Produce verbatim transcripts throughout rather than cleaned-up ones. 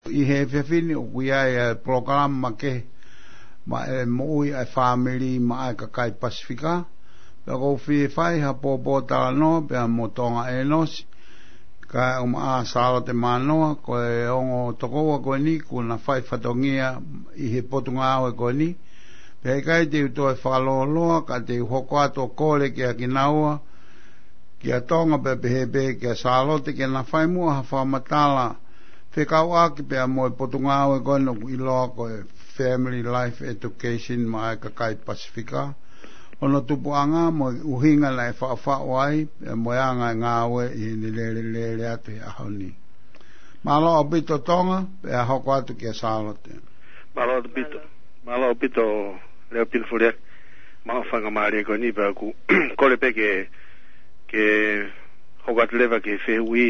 ʻI he efiafi ni ʻoku ʻi ai ʻa e polokalama makehe maʻa e moʻui ʻa e fāmili maʻa e kakai Pasifika. Pea ʻoku ou fie fai ha pōpō talanoa pea mo Tonga ʻEnosi, kae ʻumaʻā Sālote Mānoa, ko e ongo tokoua ko eni kuo na fai fatongia ʻi he potungāue ko eni. Pea ʻikai te u toe fakalōloa, ka te u hoko atu ʻo kole kia kinaua, kia Tonga pea pehē pē kia Sālote, ke na fai muʻa ha fakamatala fekauʻaki pea mo e potungāue ko eni ʻoku ʻiloa ko e Family Life Education maʻa e kakai Pasifika, hono tupuʻanga mo e ʻuhinga naʻe faʻufaʻu ai, pea mo e anga e ngāue ʻi heʻene lele, lele atu he ʻaho ni. Mālō ʻaupito Tonga, pea hoko atu kia Sālote. Mālō ʻaupito. Mālō ʻaupito Leopino Foliaki. Mālō faingamālie ko eni pea ʻoku kole pē ke, ke hoko atu leva ki he fehuʻi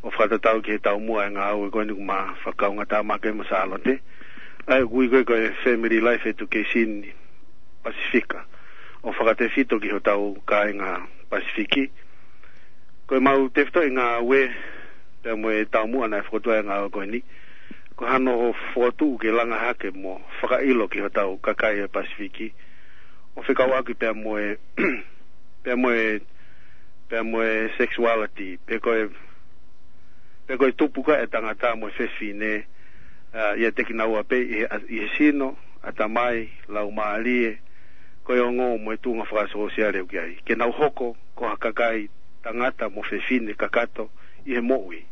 ʻo fakatatau ki he taumuʻa e ngāue ko eni ʻoku ma fakakaungātāmaki mo Sālote. ʻA ia ʻoku ui ko e, ko e Family Life Education Pasifika, ʻo fakatefito ki hotau kāinga Pasifiki. Ko e mau tefitoʻi ngāue, pea mo e taumuʻa naʻe fokotuʻu ai e ngāue ko eni, ko hano fokotuʻu ke langa hake mo fakaʻilo ki hotau kakai e Pasifiki, ʻo fekauʻaki pea mo e, pea mo e, pea mo e sexuality, pe ko e, pe ko e tupu ko ē e tangata mo e fefine, ʻa, ʻiate kinaua pē ʻi he, ʻi he sino, ʻatamai, laumālie, ko e ongo mo e tuʻunga fakasōsiale ʻoku ʻi ai. Ke nau hoko ko ha kakai tangata mo fefine kakato ʻi he moʻui.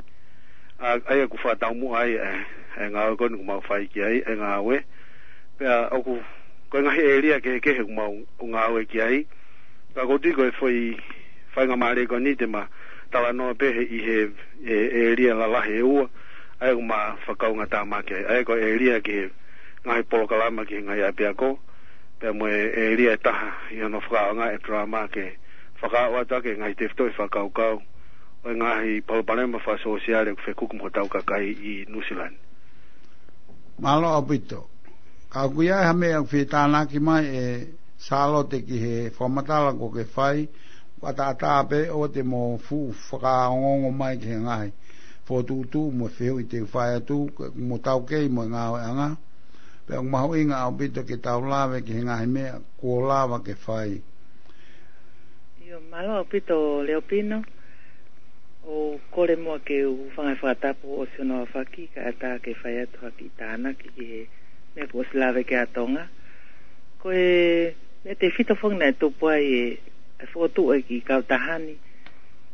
ʻA, ʻa ia ʻoku fakataumuʻa ai e, e ngāue ko eni ʻoku mau fai ki ai, e ngāue. Pea ʻoku, ko e ngaahi ʻēlia kehekehe ʻoku mau ngāue ki ai. Ka ʻoku ou tui ko e foʻi faingamālie ko eni te ma talanoa pē he ʻi he, he ʻēlia lalahi ʻe ua, ʻa ia ʻoku ma fakakaungātāmaki ai. ʻA ia ko e ʻēlia ki he ngaahi polokalama ki he ngaahi ʻapiako, pea mo e ʻēlia ʻe taha ʻi hono fakaʻaongaʻi e drama ke fakaaʻu atu ʻaki e ngaahi tefitoʻi fakakaukau ʻo e ngaahi palopalema fakasōsiale ʻoku fekuki mo hotau kakai ʻi Nuʻusila ni. Mālō ʻaupito. Ka ʻoku ʻi ai ha meʻa ʻoku fie tānaki mai ʻe Sālote ki he fakamatala kuo ke fai, ʻataʻatā pē ʻoua te mo fuʻu fakaongoongo mai ki he ngaahi fokotuʻutuʻu mo e fehuʻi te u fai atu, mo taukei mo e ngāueʻanga. Pea ʻoku mahuʻinga ʻaupito ke tau lave ki he ngaahi meʻa kuo lava ke fai. ʻIo, mālō ʻaupito Leopino. ʻOku ou kole muʻa ke u hūfanga he fakatapu ʻosi hono aofaki, kae ʻatā ke fai atu ha kiʻi tānaki ki he meʻa kuo ʻosi lave ki ai ʻa Tonga. Ko e meʻa tefito foki naʻe tupu ai e, e fokotuʻu e kiʻi kautaha ni,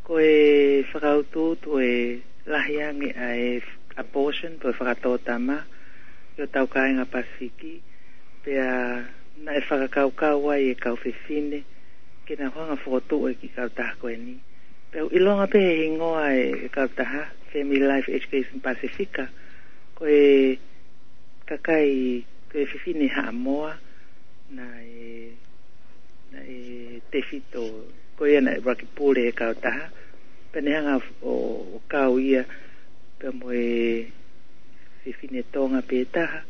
ko e fakautuutu e lahi ange ʻa e abortion, pe fakatōtama, ʻi hotau kāinga Pasifiki, pea naʻe fakakaukau ai e kau fefine ke nau hanga ʻo fokotuʻu e kiʻi kautaha ko eni. Pea ʻoku ʻilonga pē he hingoa e, e kautaha, Family Life Education Pasifika, ko e kakai, ko e fefine Haʻamoa, naʻe, naʻe tefito, ko ia naʻe ʻuluaki pule e kautaha, pea ne hanga ʻo, ʻo kau ia, pea mo e fefine Tonga pē taha,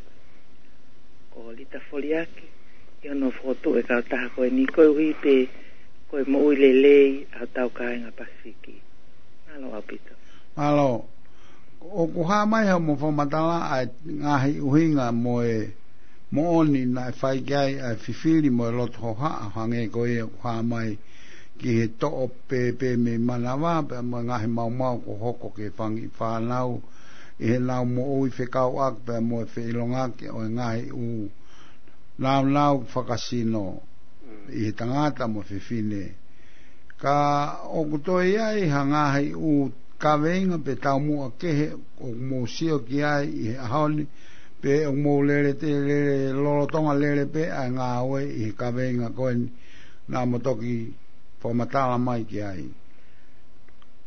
ko Lita Foliaki, ʻi hono fokotuʻu e kautaha ko eni koeʻuhi pē ko e moʻui lelei ʻa hotau kāinga Pasifiki. Mālō ʻaupito. Mālō. ʻOku hā mai ha mo fakamatala ʻa e ngaahi ʻuhinga mo e moʻoni naʻe fai ki ai ʻa e fifili mo e loto hohaʻa, hangē ko ia ʻoku hā mai ki he toʻo pēpē mei manava, pea mo e ngaahi maumau kuo hoko ki he fanga kiʻi fānau, ʻi heʻenau moʻui fekauʻaki pea mo e feʻilongaki ʻo e ngaahi ʻū naunau fakasino ʻi he tangata mo e fefine. Ka ʻoku toe ʻi ai ha ngaahi ʻū kaveinga pe taumuʻa kehe ʻoku mou sio ki ai ʻi he ʻaho ni, pe ʻoku mou lele te, lele lolotonga lele pē ʻa e ngāue ʻi he kaveinga ko eni naʻa mo toki fakamatala mai ki ai.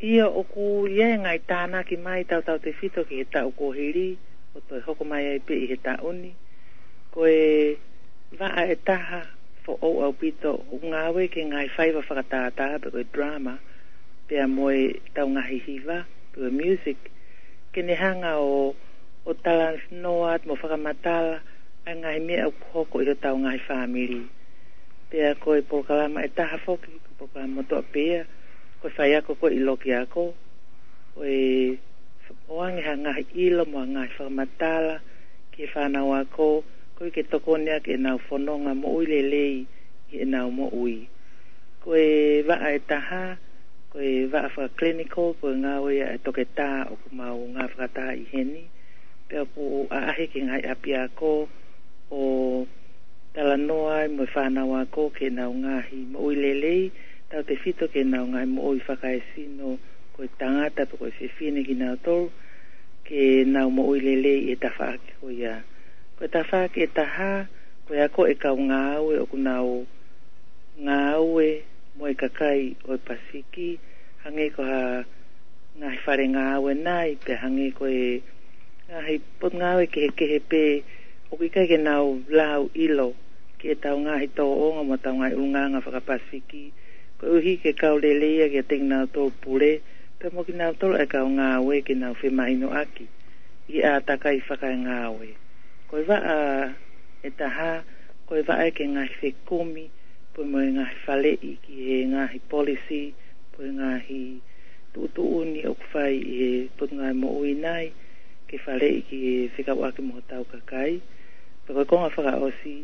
ʻIo, ʻoku ʻi ai e ngaahi tānaki mai tautautefito ki he taʻu kuo hili, ʻo toe hoko mai ai pē ʻi he taʻu ni. Ko e vaʻa ʻe taha foʻou ʻaupito ʻoku ngāue ki he ngaahi faiva fakatātā pe ko e drama, pea mo e tau ngaahi hiva, pe ko e music, ke ne hanga ʻo, ʻo talanoa atu mo fakamatala ʻa e ngaahi meʻa ʻoku hoko ʻi hotau ngaahi fāmili. Pea ko e polokalama ʻe taha foki, ko e polokalama motuʻa pē ia, ko e faiako ko ē ʻi loki ako, ko e ʻoange ha ngaahi ʻilo mo ha ngaahi fakamatala ki he fānau ako, koeʻuhi ke tokoni ʻaki ʻenau fononga moʻui lelei ʻi heʻenau moʻui. Ko e vaʻa ʻe taha, ko e vaʻa faka-clinical, ko e ngāue ia ʻa e toketā ʻoku mau ngāue fakataha ʻi heni, pea ʻoku ʻaʻahi ki he ngaahi ʻapiako ʻo talanoa ai mo e fānau ako ki heʻenau ngaahi moʻui lelei, tautefito ki heʻenau ngaahi moʻui fakaesino, ko e tangata pe ko e fefine kinautolu, ke nau moʻui lelei ʻi he tafaʻaki ko ia. Ko e tafaʻaki ʻe taha, ko e ako ʻa e kau ngāue ʻoku nau ngāue mo e kakai ʻo e Pasifiki, hangē ko ha ngaahi fale ngāue nai, pea hangē ko e ngaahi potungāue kehekehe pē, ʻoku ʻikai ke nau lau ʻilo ki heʻetau ngaahi tōʻonga mo ʻetau ngaahi ʻulungaanga faka-Pasifiki, koeʻuhi ke kau lelei ia kiate kinautolu pule, pea mo kinautolu ʻa e kau ngāue ke nau femahinoʻaki ʻi he ʻātakai fakaengāue. Ko e vaʻa ʻe taha, ko e vaʻa ki he ngaahi fekumi, pea mo e ngaahi faleʻi ki he ngaahi policy, pea mo e ngaahi tuʻutuʻuni ʻoku fai ʻi he potungāue moʻui nai, ke faleʻi ki he fekauʻaki mo hotau kakai. Pea ko e konga fakaʻosi,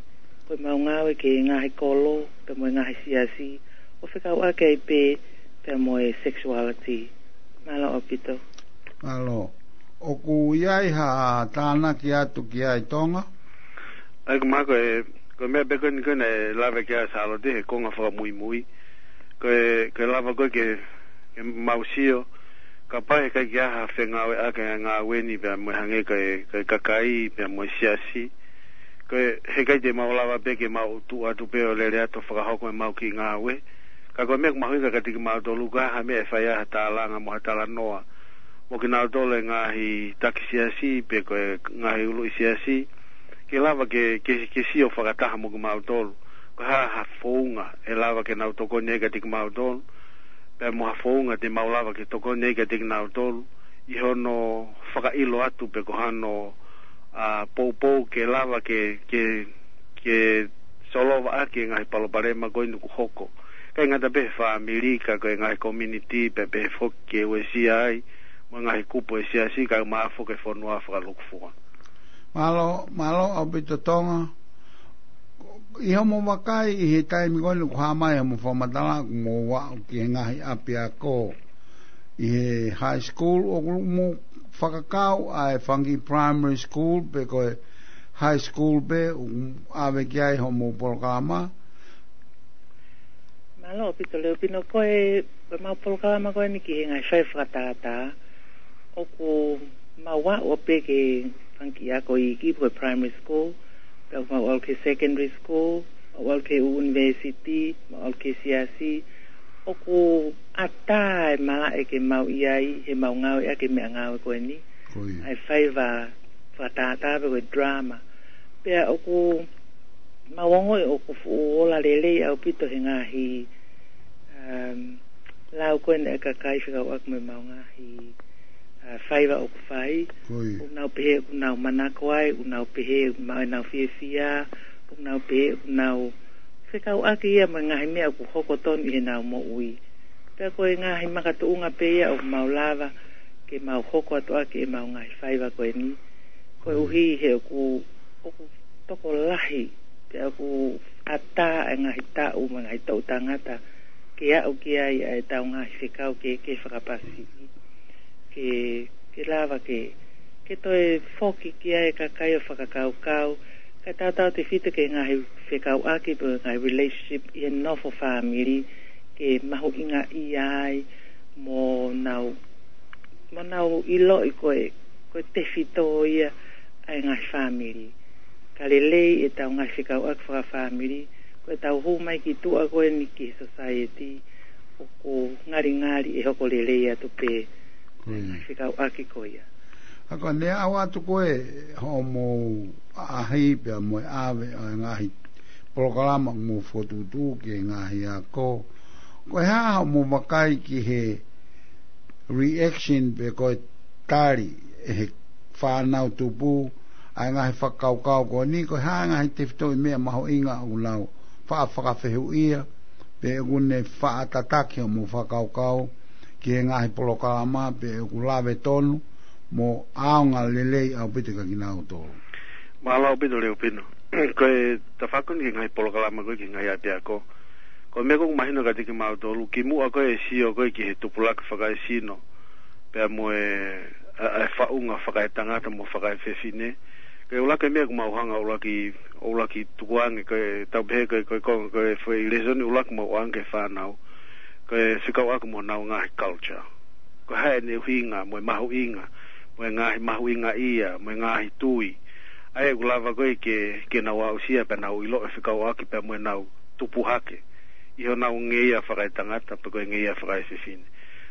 ko ʻemau ngāue ki he ngaahi kolo, pea mo e ngaahi siasi, ʻo fekauʻaki ai pē, pea mo e sexuality. Mālō ʻaupito. Mālō. ʻOku ʻi ai ha tānaki atu ki ai, Tonga? ʻAi, ko e meʻa ko ē, ko e meʻa pē ko eni ko ē naʻe lave ki ai ʻa Sālote he konga fakamuimui. Ko e, ko e lava ko ē ke, ke mau sio, kapau heʻikai ke ʻi ai ha fengāueʻaki ʻa e ngāue ni pea mo e hangē ko e, ko e kakai, pea mo e siasi. Ko e, heʻikai te mau lava pē ke mau tuʻu atu pē ʻo lele atu ʻo fakahoko ʻemau kiʻi ngāue. Ka ko e meʻa ʻoku mahuʻinga kiate kimautolu, ko e hā ha meʻa ʻe fai ai ha tālanga mo ha talanoa mo kinautolu e ngaahi taki siasi, pe ko e ngaahi ʻuluʻi siasi, ke lava ke, ke, ke sio fakataha mo kimautolu. Ko e hā ha founga ʻe lava ke nau tokoni ai kiate kimautolu, pea mo ha founga te mau lava ke tokoni ai kiate kinautolu, ʻi hono fakaʻilo atu pe ko hano, ʻa, poupou ke lava ke, ke, ke solova ʻaki e ngaahi palopalema ko eni ʻoku hoko. ʻIkai ngata pē he fāmili, ka ko e ngaahi community, pea pehē foki ki he uesia ai, mo e ngaahi kupu ʻo e siasi, kae ʻumaʻā foki e fonua fakalūkufua. Mālō, mālō ʻaupito, Tonga. ʻI hoʻomo vakai ʻi he taimi ko eni ʻoku hā mai hoʻomo fakamatala, ʻoku mou aʻu ki he ngaahi ʻapiako ʻi he high school, ʻoku mou fakakau ʻa e fanga kiʻi primary school, pe ko e high school pē ʻoku ʻave ki ai hoʻomo polokalama? Mālō ʻaupito, Leupino. Ko e, ko ʻemau polokalama ko eni ki he ngaahi faiva fakatātā, ʻoku mau aʻu pē ki he fanga kiʻi ako iiki, ko e primary school, pea mau ʻalu ki he secondary school, mau ʻalu ki he university, mau ʻalu ki he siasi. ʻOku ʻatā e malaʻe ke mau ʻi ai heʻemau ngāueʻaki e meʻangāue ko eni, Ko ia. ʻa e faiva fakatātā pe ko e drama. Pea ʻoku mau ongoʻi ʻoku fuʻu ola lelei ʻaupito he ngaahi, um, lau ko eni ʻa e kakai fekauʻaki mo ʻemau ngaahi, uh, faiva ʻoku fai. Ko ia. ʻOku nau pehē ʻoku nau manako ai, ʻoku nau pehē ʻoku maʻu ʻenau fiefia, ʻoku nau pehē ʻoku nau fekauʻaki ia mo e ngaahi meʻa ʻoku hoko tonu ʻi heʻenau moʻui. Pea ko e ngaahi makatuʻunga pē ia ʻoku mau lava ke mau hoko atu ʻaki ʻemau ngaahi faiva ko eni. Koeʻuhi he ʻoku, ʻoku tokolahi, pea ʻoku ʻatā e ngaahi taʻu mo e ngaahi toʻu tangata ke aʻu ki ai ʻa ʻetau ngaahi fekau kehekehe faka-Pasifiki. Ke, ke lava ke, ke toe foki ki ai e kakai ʻo fakakaukau, kae tautautefito ki he ngaahi fekauʻaki pe ngaahi relationship ʻi he nofo fāmili, ke mahuʻingaʻia ai mo nau, mo nau ʻiloʻi ko e, ko e tefito ia ʻa e ngaahi fāmili. Ka lelei ʻetau ngaahi fekauʻaki fakafāmili, ko ʻetau hū mai ki tuʻa ko eni ki he society, ʻoku ngalingali ʻe hoko lelei atu pē Ko ia. ngaahi fekauʻaki ko ia. ʻA ko ʻene aʻu atu ko ē hoʻomo ʻaʻahi pea mo e ʻave ʻa e ngaahi polokalama ʻoku mou fokotuʻutuʻu ki he ngaahi ako. Ko e hā hoʻomo vakai ki he reaction pe ko e tali ʻe he fānau tupu ʻa e ngaahi fakakaukau ko eni, ko e hā e ngaahi tefitoʻi meʻa mahuʻinga ʻoku nau faʻa fakafehuʻia, pe ʻoku ne faʻa tataki hoʻomo fakakaukau ki he ngaahi polokalama, pe ʻoku lave tonu, mo ʻaonga lelei ʻaupito kia kinautolu. Mālō ʻaupito Leupino. Ko e tafaʻaki ko eni ki he ngaahi polokalama ko ē ki he ngaahi ʻapiako, ko e meʻa ʻoku mahino kiate kimautolu, kimuʻa ko ē e sio ko ē ki he tupulaki fakaesino pea mo e, ʻa, ʻa e faʻunga fakaetangata mo fakaefefine, ko e ʻuluaki meʻa ʻoku mau hanga ʻuluaki, ʻuluaki tukuange, ko e tau pehē ko e, ko e, ko e, ko e foʻi lēsoni ʻuluaki mau ʻoange ki he fānau, ko e fekauʻaki mo honau ngaahi culture. Ko e hā ʻene ʻuhinga mo e mahuʻinga, mo e ngaahi mahuʻingaʻia, mo e ngaahi tui ʻa ia ʻoku lava ko ē ke, ke nau aʻusia pea nau ʻilo ʻo fekauʻaki pea mo ʻenau tupu hake ʻi honau ngeia fakaetangata pe ko e ngeia fakaefefine.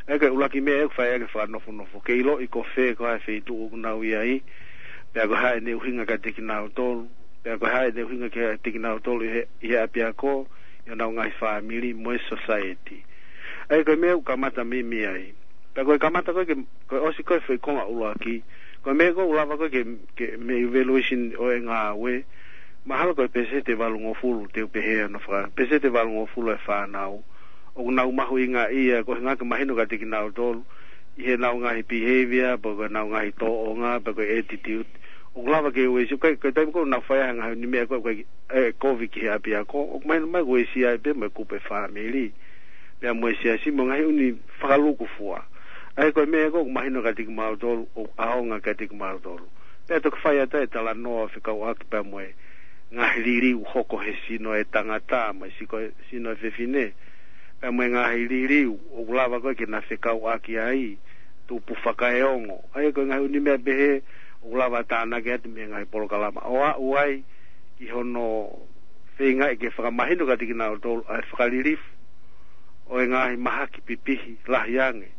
ʻA ia ko e ʻuluaki meʻa ʻoku fai ʻaki e fakanofonofo, ke ʻiloʻi ko fē, ko e hā e feituʻu ʻoku nau ʻi ai, pea ko e hā ʻene ʻuhinga kiate kinautolu, pea ko e hā ʻene ʻuhinga kiate kinautolu ʻi he, ʻi he ʻapiako, ʻi honau ngaahi fāmili mo e society. ʻA ia ko e meʻa ʻoku kamata mei, mei ai. Pea ko e kamata ko ē ke, ko e ʻosi ko ē foʻi konga ʻuluaki, ko e meʻa ʻoku lava ko ē ke, ke mei he evaluation ʻo e ngāue, mahalo ko e pēseti ʻe valungofulu, te u pehē ʻa hono faka-, pēseti ʻe valungofulu e fānau ʻoku nau mahuʻingaʻia, ko e ʻuhinga ke mahino kiate kinautolu ʻi heʻenau ngaahi behavior, pe ko ʻenau ngaahi tōʻonga, pe ko e attitude, ʻoku lava ke uesia, ko e, ko e taimi ko ē ʻoku nau fai ai e ngaahi ʻū meʻa ko ē, ko e, ʻe kovi ki he ʻapiako, ʻoku mahino mai ʻoku uesia ai pē mo e kupu e fāmili, pea mo e siasi mo e ngaahi ʻū fakalūkufua. ʻA ia ko e meʻa ko ē ʻoku mahino kiate kimautolu, ʻoku ʻaonga kiate kimautolu. Pea toki fai atu e talanoa fekauʻaki pea mo e ngaahi liliu hoko he sino e tangata mo e siko-, sino e fefine, pea mo e ngaahi liliu ʻoku lava ko ē ke na fekauʻaki ai, tupu fakaeongo. ʻA ia ko e ngaahi ʻū meʻa pehē ʻoku lava tānaki atu mei he ngaahi polokalama ʻo aʻu ai ki hono feingaʻi ke fakamahino kiate kinautolu ʻa e fakalilifu ʻo e ngaahi mahaki pipihi lahi ange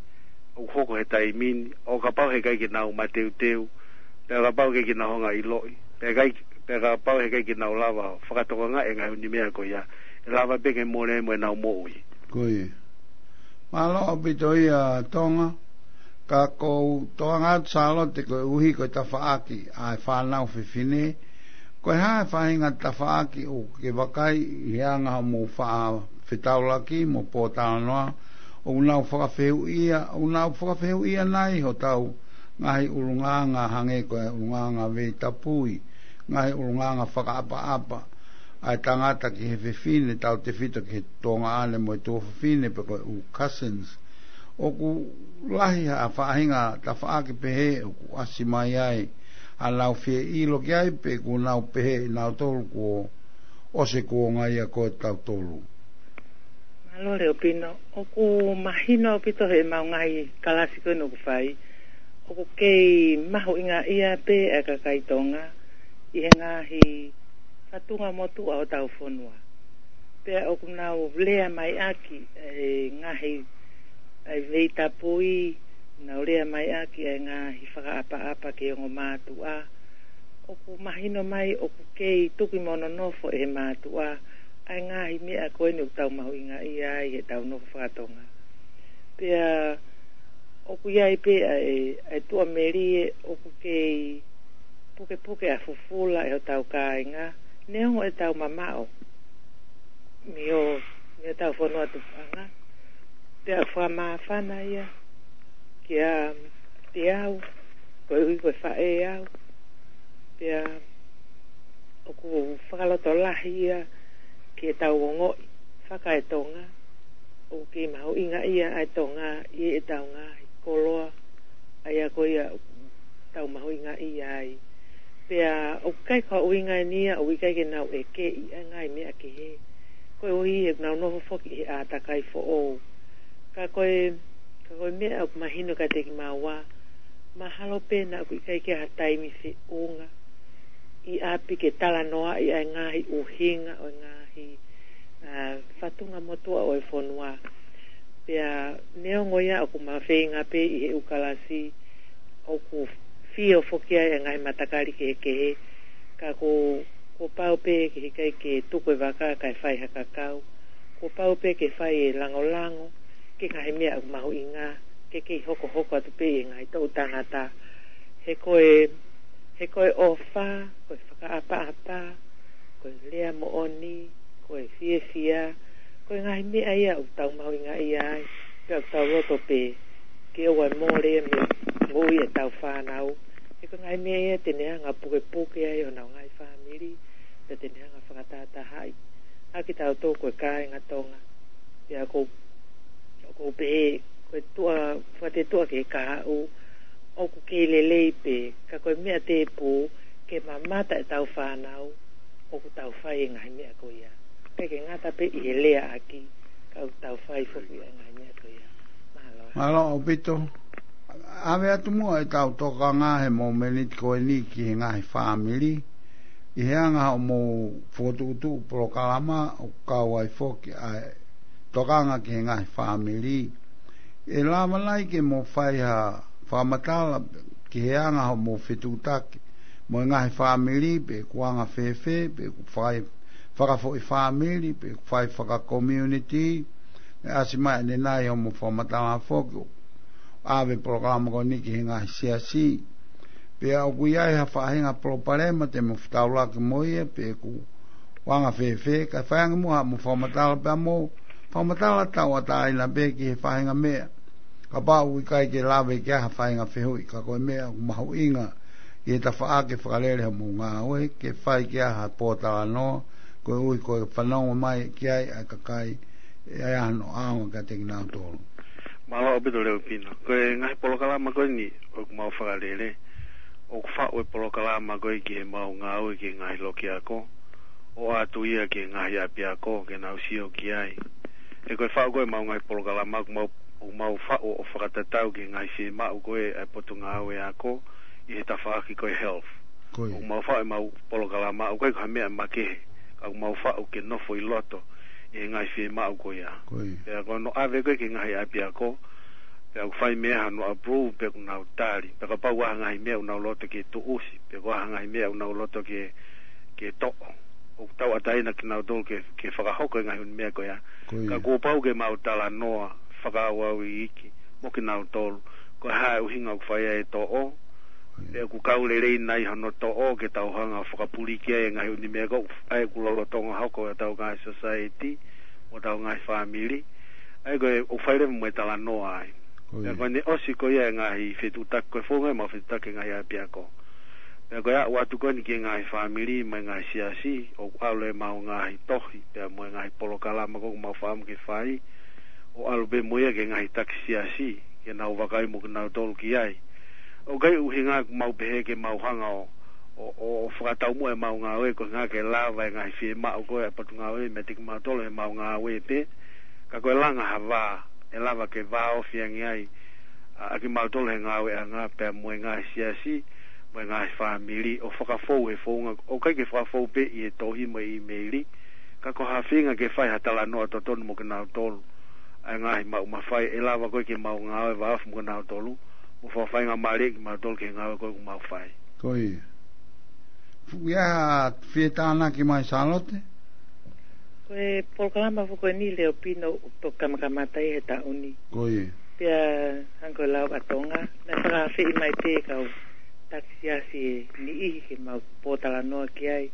ʻoku hoko he taimi ni, ʻo kapau he ʻikai ke nau mateuteu, pea kapau he ʻikai ke nau hanga ʻo ʻiloʻi, pea ʻikai, pea kapau he ʻikai ke nau lava ʻo fakatokangaʻi e ngaahi ʻū meʻa ko ia, ʻe lava pē ke mole mo ʻenau moʻui. Ko ia. Mālō ʻaupito ia Tonga, ka ʻoku ou toʻo atu Sālote koeʻuhi ko e tafaʻaki ʻa e fānau fefine, ko e hā e faʻahinga tafaʻaki ʻoku ke vakai ʻi he anga hoʻomou faʻa fetaulaki mo pōtalanoa, ʻoku nau fakafehuʻia, ʻoku nau fakafehuʻia nai hotau ngaahi ʻulungaanga hangē ko e ʻulungaanga veitapui, ngaahi ʻulungaanga fakaʻapaʻapa ʻa e tangata ki he fefine, tautefito ki he tuongaʻane mo e tuofefine pe ko e ʻū cousins. ʻOku lahi ha faʻahinga tafaʻaki pehē ʻoku ʻasi mai ai haʻanau fie ʻilo ki ai pe ʻoku nau pehē ʻenautolu kuo ʻosi e kuonga ia ko tautolu. Mālō Leupino, ʻoku mahino ʻaupito heʻemau ngaahi kalasi ko eni ʻoku fai, ʻoku kei mahuʻingaʻia pē ʻa e kakai Tonga ʻi he ngaahi fatunga motuʻa ʻo hotau fonua. Pea ʻoku nau lea mai ʻaki e ngaahi, ʻa e veitapui, nau lea mai ʻaki e ngaahi fakaʻapaʻapa ki he ongo mātuʻa. ʻOku mahino mai ʻoku kei tuki mo nonofo ʻe he mātuʻa ʻa e ngaahi meʻa ko eni ʻoku tau mahuʻingaʻia ai heʻetau nofo fakatonga. Pea ʻoku ʻi ai pē ʻa e, ʻa e tuʻamelie ʻoku kei pukepuke ʻa e fufula ʻe hotau kāinga, neongo ʻetau mamaʻo mei ho, mei hotau fonua tupuʻanga. Pea ʻoku fakamāfana ia kiate au, koeʻuhi ko e faʻē au. Pea ʻoku fakalotolahi ia ke tau ongoʻi fakaetonga, ʻoku kei mahuʻingaʻia ʻa e Tonga ʻi heʻetau ngaahi koloa, ʻa ia ko ia ʻoku tau mahuʻingaʻia ai. Pea ʻoku ʻikai ko ha ʻuhinga eni ia ʻoku ʻikai ke nau ʻekeʻi ʻa e ngaahi meʻa kehe, koeʻuhi he ʻoku nau nofo foki he ʻātakai foʻou. Ka ko e, ka ko e meʻa ʻoku mahino kiate kimaua, mahalo pē naʻa ʻoku ʻikai ke ʻi ai ha taimi feʻunga ʻi ʻapi ke talanoaʻi ʻa e ngaahi ʻuhinga ʻo e ngaahi, ʻa, fatunga motuʻa ʻo e fonua. Pea neongo ia ʻoku ma feinga pē ʻi he ʻū kalasi, ʻoku fio foki ai e ngaahi matakali kehekehe, ka ko, kuo pau pē ke ʻikai ke tuku e vaka kae fai ha kakau, kuo pau pē ke fai e langolango ki he ngaahi meʻa ʻoku mahuʻinga, ke kei hokohoko atu pē ʻi he ngaahi toʻu tangata. He ko e, he ko e ʻofa, ko e fakaʻapaʻapa, ko e lea moʻoni, ko e fiefia, ko e ngaahi meʻa ia ʻoku tau mahuʻingaʻia ai, pea ʻoku tau loto pē ke ʻoua ʻe mole ia mei Moʻui ʻetau fānau. He ko e ngaahi meʻa ia te ne hanga pukepuke ai honau ngaahi fāmili, pea te ne hanga fakatahatahaʻi ʻa kitautolu ko e kāinga Tonga. Pea ʻoku ou, ʻoku ou pehē, ko e tuʻa, fakatetuʻa ki he kahaʻu, ʻoku kei lelei pē, ka ko e meʻa tēpū, ke mamata ʻetau fānau, ʻoku tau fai e ngaahi meʻa ko ia. Pea ke ngata pē ʻi he leaʻaki, ka ʻoku tau fai foki e ngaahi meʻa ko ia. Mālō. Mālō ʻaupito. ʻAve atu muʻa ʻetau tokanga he momeniti ko eni ki he ngaahi fāmili. ʻI he anga hoʻomou fokotuʻutuʻu polokalama ʻoku kau ai foki ʻa e tokanga ki he ngaahi fāmili. ʻE lava nai ke mou fai ha fakamatala ki he anga hoʻomou fetuʻutaki mo e ngaahi fāmili, pe ʻoku anga fēfē, pe ʻoku fai fakafoʻi fāmili, pe ʻoku fai fakakomiuniti, ʻe ʻasi mai ʻanenai hoʻomou fakamatala foki ʻo ʻave polokalama ko eni ki he ngaahi siasi. Pea ʻoku ʻi ai ha faʻahinga palopalema te mou fetaulaki mo ia, pe ʻoku anga fēfē, kae fai ange muʻa haʻamou fakamatala pea mo fakamatala tauʻatāina pē ki he faʻahinga meʻa. Kapau ʻoku ʻikai ke lave ki ai ha faʻahinga fehuʻi, ka ko e meʻa ʻoku mahuʻinga ʻi he tafaʻaki fakalele hoʻomou ngāue, ke fai ki ai ha pōtalanoa, koeʻuhi ko e fanongo mai ki ai ʻa e kakai ʻe ʻi ai hano ʻaonga kiate kinautolu. Mālō ʻaupito Leupino. Ko e ngaahi polokalama ko eni ʻoku mau fakalele, ʻoku faʻu e polokalama ko ē ki heʻemau ngāue ki he ngaahi loki ako, ʻo ʻoatu ia ki he ngaahi ʻapiako ke nau sio ki ai. He ko e faʻu ko ē ʻemau ngaahi polokalama ʻoku mau, ʻoku mau faʻu ʻo fakatatau ki he ngaahi fiemaʻu ko ē ʻa e Potungāue Ako ʻi he tafaʻaki ko e health. Ko ia. ʻOku mau faʻu ʻemau polokalama, ʻoku ʻikai ko ha meʻa makehe, ka ʻoku mau faʻu ke nofo ʻi loto ʻi he ngaahi fiemaʻu ko ia. Ko ia. Pea ko hono ʻave ko ē ki he ngaahi ʻapiako, pea ʻoku fai mei ai hano approve, pea ʻoku nau tali. Pea kapau ʻoku ʻi ai ha ngaahi meʻa ʻoku nau loto ke tuʻusi, pe ʻoku ʻi ai ha ngaahi meʻa ʻoku nau loto ke, ke toʻo, ʻoku tauʻatāina kinautolu ke, ke fakahoko e ngaahi ʻū meʻa ko ia. Ko ia. Ka kuo pau ke mau talanoa fakaʻauʻau iiki mo kinautolu, ko e hā e ʻuhinga ʻoku fai ai e toʻo, Ko ia. pe ʻoku kau lelei nai hono toʻo ke tau hanga ʻo fakapuliki ai e ngaahi ʻū meʻa ko ē ʻoku lolotonga hoko ʻi hotau ngaahi society mo hotau ngaahi fāmili. ʻA ia ko e ʻoku fai leva mo e talanoa ai. Ko ia. Pea ko ʻene ʻosi ko ia e ngaahi fetuʻutaki, ko e founga ʻemau fetuʻutaki ki he ngaahi ʻapiako. Pea ko e aʻu atu ko eni ki he ngaahi fāmili mo e ngaahi siasi, ʻoku ʻalu ʻemau ngaahi tohi, pea mo e ngaahi polokalama ko ē ʻoku mau fakaʻamu ke fai, ʻo ʻalu pē mo ia ki he ngaahi taki siasi, ke nau vakai mo kinautolu ki ai. ʻOku ʻikai ʻuhinga ʻoku mau pehē ke mau hanga ʻo, ʻo, ʻo, ʻo fakataumuʻa ʻemau ngāue, ko e ʻuhinga ke lava e ngaahi fiemaʻu ko ē ʻa e Potungāue meiate kimautolu heʻemau ngāue pē, ka ko e langa ha vā, ʻe lava ke vāofi ange ai ʻa, ʻa kimautolu he ngāueʻanga pea mo e ngaahi siasi, mo e ngaahi fāmili, ʻo fakafou he founga, ʻoku ʻikai ke fakafou pē ʻi he tohi mo e ʻīmeili, ka ko ha feinga ke fai ha talanoa totonu mo kinautolu. ʻA e ngaahi maʻu mafai, ʻe lava ko ē ke mau ngāue vāofi mo kinautolu, mo fakafaingamālieʻi kimautolu ki he ngāue ko ē ʻoku mau fai. Ko ia. Fuʻu ia ha fie tānaki mai Sālote? Ko e polokalama foki ko eni Leupino ʻoku toki kamakamata ia he taʻu ni. Ko ia. Pea hangē ko e lau ʻa Tonga, naʻe fakaafeʻi mai pē kau taki siasi ʻe niʻihi ke mau pōtalanoa ki ai.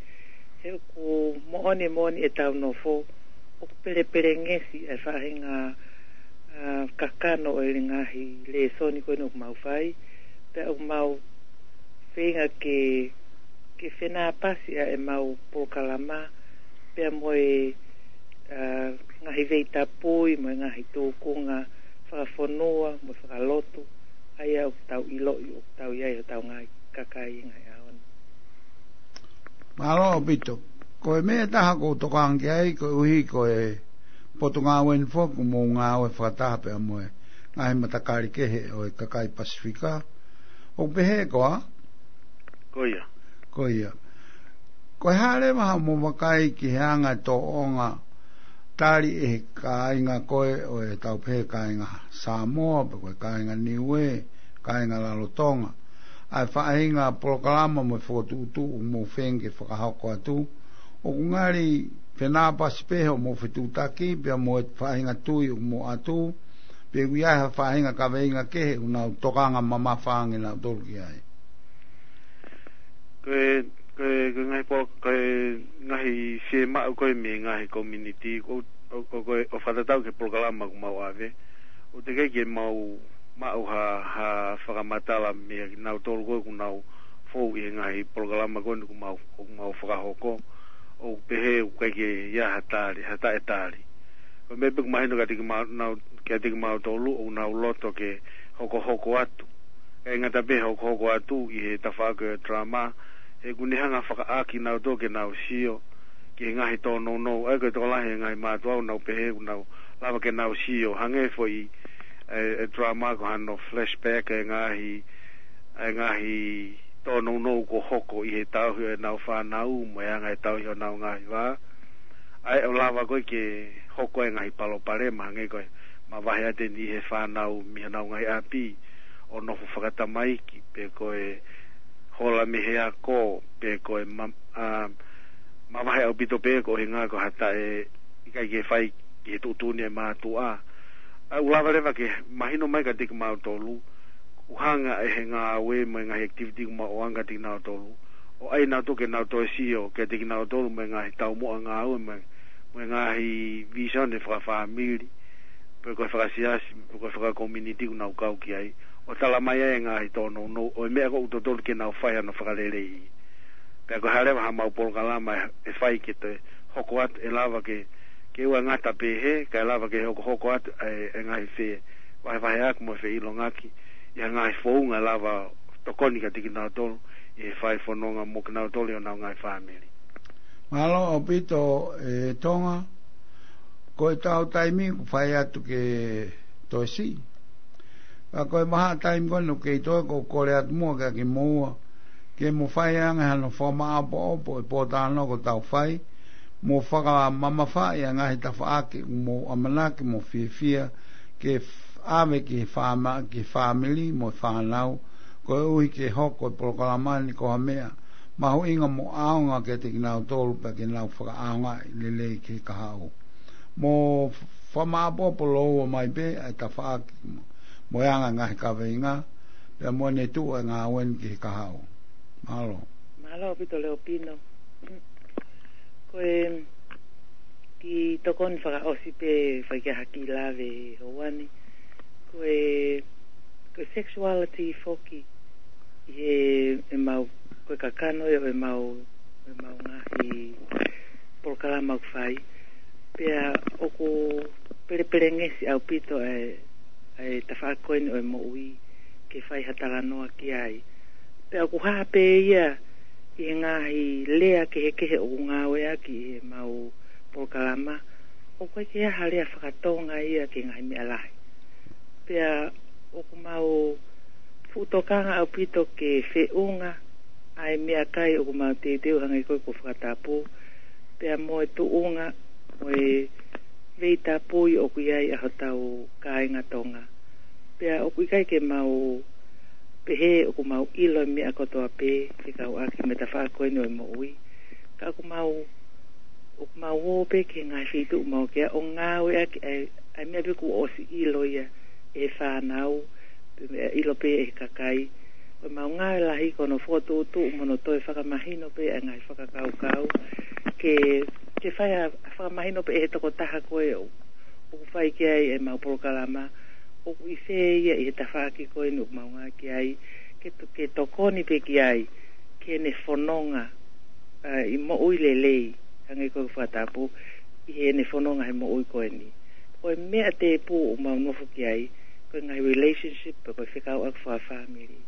He ʻoku moʻoni, moʻoni ʻetau nofo, ʻoku pelepelengesi e faʻahinga, ʻa, kakano ʻo e ngaahi lēsoni ko eni ʻoku mau fai. Pea ʻoku mau feinga ke, ke fenāpasi ʻa ʻemau polokalama, pea mo e, ʻa, ngaahi veitapui, mo e ngaahi tūkunga fakafonua, mo e fakalotu, ʻa ia ʻoku tau ʻiloʻi, ʻoku tau ʻi ai hotau ngaahi kakai ʻi he ngaahi ʻaho ni. Mālō ʻaupito. Ko e meʻa ʻe taha ʻoku ou tokanga ki ai, koeʻuhi ko e Potungāue ni foki ʻoku mou ngāue fakataha pea mo e ngaahi matakali kehe ʻo e kakai Pasifika. ʻOku pehē koā? Ko ia. Ko ia. Ko e hā leva haʻamou vakai ki he anga e tōʻonga tali ʻe he kāinga ko ē ʻo e tau pehē kāinga Samoa, pe ko e kāinga Niuē, kāinga Lalotonga, ʻa e faʻahinga polokalama mo e fokotuʻutuʻu ʻoku mou feinga ke fakahoko atu, ʻoku ngali fenāpasi pē hoʻomou fetuʻutaki, pea mo e faʻahinga tui ʻoku mou ʻatu, pe ʻoku ʻi ai ha faʻahinga kaveinga kehe ʻoku nau tokanga mamafa ange nautolu ki ai. Ko e, ko e, ko e ngaahi polo-, ko e ngaahi fiemaʻu ko ē mei he ngaahi community, ʻo, ʻo, ʻo, ko e, ʻo fakatatau ki he polokalama ʻoku mau ʻave. ʻOku teʻeki ke mau maʻu ha, ha fakamatala mei he kinautolu ko ē ʻoku nau fou ʻi he ngaahi polokalama ko eni ʻoku mau, ʻoku mau fakahoko. ʻOku pehē ʻoku ʻikai ke ʻi ai ha tali, ha taʻetali. Ko e meʻa pē ʻoku mahino kiate kimau-, nau, kiate kimautolu ʻoku nau loto ke hokohoko atu. ʻIkai ngata pē hokohoko atu ʻi he tafaʻaki ʻo e drama, he ʻoku ne hanga fakaʻaki kinautolu ke nau sio ki he ngaahi tōnounou. ʻA ia ko e tokolahi e ngaahi mātuʻa ʻoku nau pehē ʻoku nau lava ke nau sio. Hangē foʻi e, e drama ko hano flashback e ngaahi, e ngaahi tōnounou kuo hoko ʻi he tauhi ʻenau fānau mo e anga e tauhi honau ngaahi vā. ʻA ia ʻo lava ko ē ke hoko e ngaahi palopalema hangē ko e mavahe atu eni ʻi he fānau mei honau ngaahi ʻapi ʻo nofo fakatamaiki pe ko e hola mei he ako pe ko e ma-, a, mavahe ʻaupito pē ko e ʻuhinga ko ha taʻe ʻikai ke fai ki he tuʻutuʻuni e mātuʻa. ʻA ia ʻoku lava leva ke mahino mai kiate kimautolu, ʻoku hanga ʻe he ngāue mo e ngaahi activity ʻoku mau ʻoange kiate kinautolu ʻo ʻai kinautolu ke nau toe sio kiate kinautolu mo e ngaahi taumuʻa ngāue mo e, mo e ngaahi vision e fakafāmili pe ko e fakasiasi pe ko e fakakominiti ʻoku nau kau ki ai, ʻo tala mai ai e ngaahi tōnounou ʻo e meʻa ʻoku totonu ke nau fai hano fakalelei. Pea ko e hā leva haʻamau polokalama ʻe, ʻe fai ke toe hoko atu, ʻe lava ke, ke ʻoua ngata pē he, kae lava ke hokohoko atu e, e ngaahi fe, vahevaheʻaki mo e feʻilongaki ʻi ha ngaahi founga ʻe lava tokoni kiate kinautolu ʻi he fai fononga mo kinautolu ʻi honau ngaahi fāmili. Mālō ʻaupito, e Tonga, ko e tau taimi ʻoku fai atu ke toe siʻi. Ka ko e vahaʻa taimi ko eni ʻoku kei toe, ʻoku ou kole atu muʻa kiate kimoua ke mo fai ange hano fakamāʻopoʻopo e pōtalanoa ʻoku tau fai, mo fakamamafaʻi ʻa e ngaahi tafaʻaki ʻoku mou ʻamanaki mo fiefia ke f-, ʻave ki he fāma-, ki he fāmili mo e fānau, koeʻuhi ke hoko e polokalama ni ko ha meʻa mahuʻinga mo ʻaonga kiate kinautolu pea ke nau fakaʻaongaʻi lelei ki he kahaʻu. Mo fakamāʻopoʻopo lōua mai pē ʻa e tafaʻaki mo e anga e ngaahi kaveinga, pea mo ʻene tuʻu e ngāue ni ki he kahaʻu. Mālō. Mālō ʻaupito Leopino. Ko e kiʻi tokoni fakaʻosi pē fai ki ai ha kiʻi lave he houa ni. Ko e, ko e sexuality foki ʻi he, ʻemau, ko e kakano ia ʻo ʻemau, ʻemau ngaahi polokalama ʻoku fai. Pea ʻoku pelepelengesi ʻaupito ʻa e, ʻa e tafaʻaki ko eni ʻo e moʻui ke fai ha talanoa ki ai. Pea ʻoku hā pē ia ʻi he ngaahi lea kehekehe ʻoku ngāueʻaki ʻi heʻemau polokalama, ʻoku ʻikai ke ʻi ai ha lea fakatonga ia ki he ngaahi meʻa lahi. Pea ʻoku mau fuʻu tokanga ʻaupito ke feʻunga ʻa e meʻakai ʻoku mau teuteu hangē ko ē kuo fakatapu, pea mo e tuʻunga mo e veitapui ʻoku ʻi ai ʻa hotau kāinga Tonga. Pea ʻoku ʻikai ke mau pehē ʻoku mau ʻilo e meʻa kotoa pē fekauʻaki mo e tafaʻaki ko eni ʻo e moʻui. Ka ʻoku mau, ʻoku mau ō pē ki he ngaahi feituʻu mau kei ʻo ngāueʻaki ʻa e, ʻa e meʻa pē kuo ʻosi ʻilo ia ʻe he fānau, pe meʻa ʻilo pē ʻe he kakai. Ko ʻemau ngāue lahi ko hono fokotuʻutuʻu mo hono toe fakamahino pē ʻa e ngaahi fakakaukau. Ke, ke fai ha, ha fakamahino pē ʻe he tokotaha ko ē ʻoku, ʻoku fai ki ai ʻemau polokalama, ʻoku ʻi fē ia ʻi he tafaʻaki ko eni ʻoku mau ngāueʻaki ai, ke to-, ke tokoni pē ki ai, ki heʻene fononga, ʻa, ʻi moʻui lelei, hangē ko e fakatapu, ʻi heʻene fononga he moʻui ko eni. Ko e meʻa tēpū ʻoku mau nofo ki ai, ko e ngaahi relationship, pe ko e fekauʻaki fakafāmili.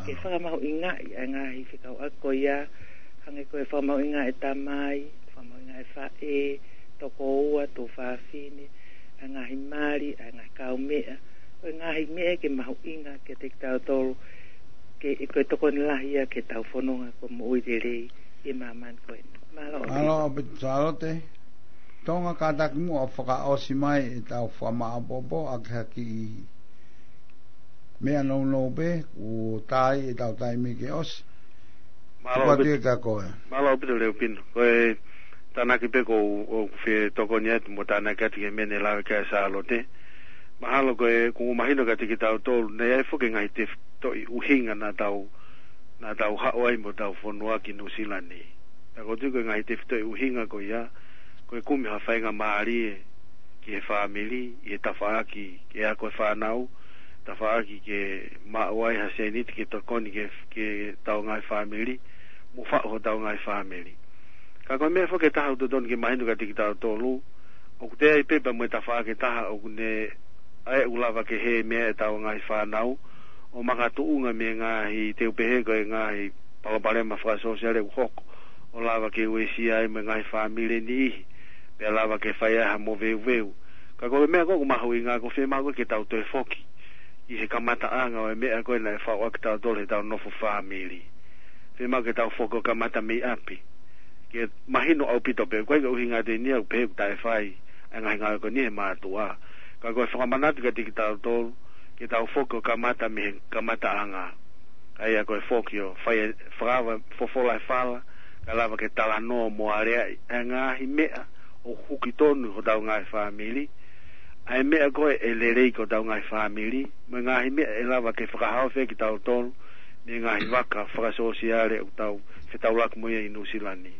Ke fakamahuʻingaʻi ʻa e ngaahi fekauʻaki ko ia, hangē ko e fakamahuʻingaʻi e tamai, fakamahuʻingaʻi e faʻē, tokoua, tuofāfine, ʻa e ngaahi mali, ʻa e ngaahi kaumeʻa, ko e ngaahi meʻa ke mahuʻinga kiate kitautolu, ke, ko e tokoni lahi ia ke tau fononga ko e moʻui lelei ʻi māmani ko eni. Mālō. Mālō ʻaupito Sālote. Tonga, kātaki muʻa ʻo fakaʻosi mai ʻetau fakamāʻopoʻopo ʻaki ha kiʻi meʻa nounou pē, kuo tā ʻetau taimi ke ʻosi. Mālō ʻaupito. Tuku atu ia kia koe. Mālō ʻaupito Leopino. Ko e tānaki pē ʻoku ou, ʻoku ou fie tokoni atu mo tānaki atu ki he meʻa ne lave ki ai ʻa Sālote. Mahalo ko e, ʻoku mahino kiate kitautolu, naʻe ʻi ai foki e ngaahi tefitoʻi ʻuhinga naʻa tau, naʻa tau haʻu ai mo ʻetau fonua ki Nuʻusila ni. Pea ʻoku ou tui ko e ngaahi tefitoʻi ʻuhinga ko ia, ko e kumi ha faingamālie ki he fāmili, ʻi he tafaʻaki, ki he ako e fānau, tafaʻaki ke maʻu ai ha sēniti ke tokoni ki he, ki heʻetau ngaahi fāmili, mo faʻu hotau ngaahi fāmili. Ka ko e meʻa foki ʻe taha ʻoku totonu ke mahino kiate kitautolu, ʻoku toe ʻi ai pē pea mo e tafaʻaki ʻe taha ʻoku ne ʻai ʻoku lava ke hē mei ai ʻetau ngaahi fānau, ʻo makatuʻunga mei he ngaahi, te u pehē ko e ngaahi palopalema fakasōsiale ʻoku hoko, ʻo lava ke uesia ai mo e ngaahi fāmili ʻe niʻihi, pea lava ke fai ai ha moveuveu. Ka ko e meʻa ko ē ʻoku mahuʻinga, ʻoku fiemaʻu ke tau toe foki ki he kamataʻanga ʻo e meʻa ko ē naʻe faʻu ʻaki kitautolu heʻetau nofo fāmili. Fiemaʻu ke tau foki ʻo kamata mei ʻapi. Ke mahino ʻaupito pē, ʻoku ʻikai ke ʻuhinga atu eni ia ʻoku pehē ʻoku taʻefai ʻa e ngaahi ngāue ko eni ʻe he mātuʻa. Ka ko e fakamanatu kiate kitautolu, ke tau foki ʻo kamata mei he kamataʻanga. ʻA ia ko e foki ʻo fai e fakaava fofola e fala, kae lava ke talanoa mo aleaʻi ʻa e ngaahi meʻa ʻoku huki tonu hotau ngaahi fāmili. ʻA e meʻa ko ē ʻe lelei ki hotau ngaahi fāmili, mo e ngaahi meʻa ʻe lava ke fakahaofi ai kitautolu mei he ngaahi vaka fakasōsiale ʻoku tau fetaulaki mo ia ʻi Nuʻusila ni.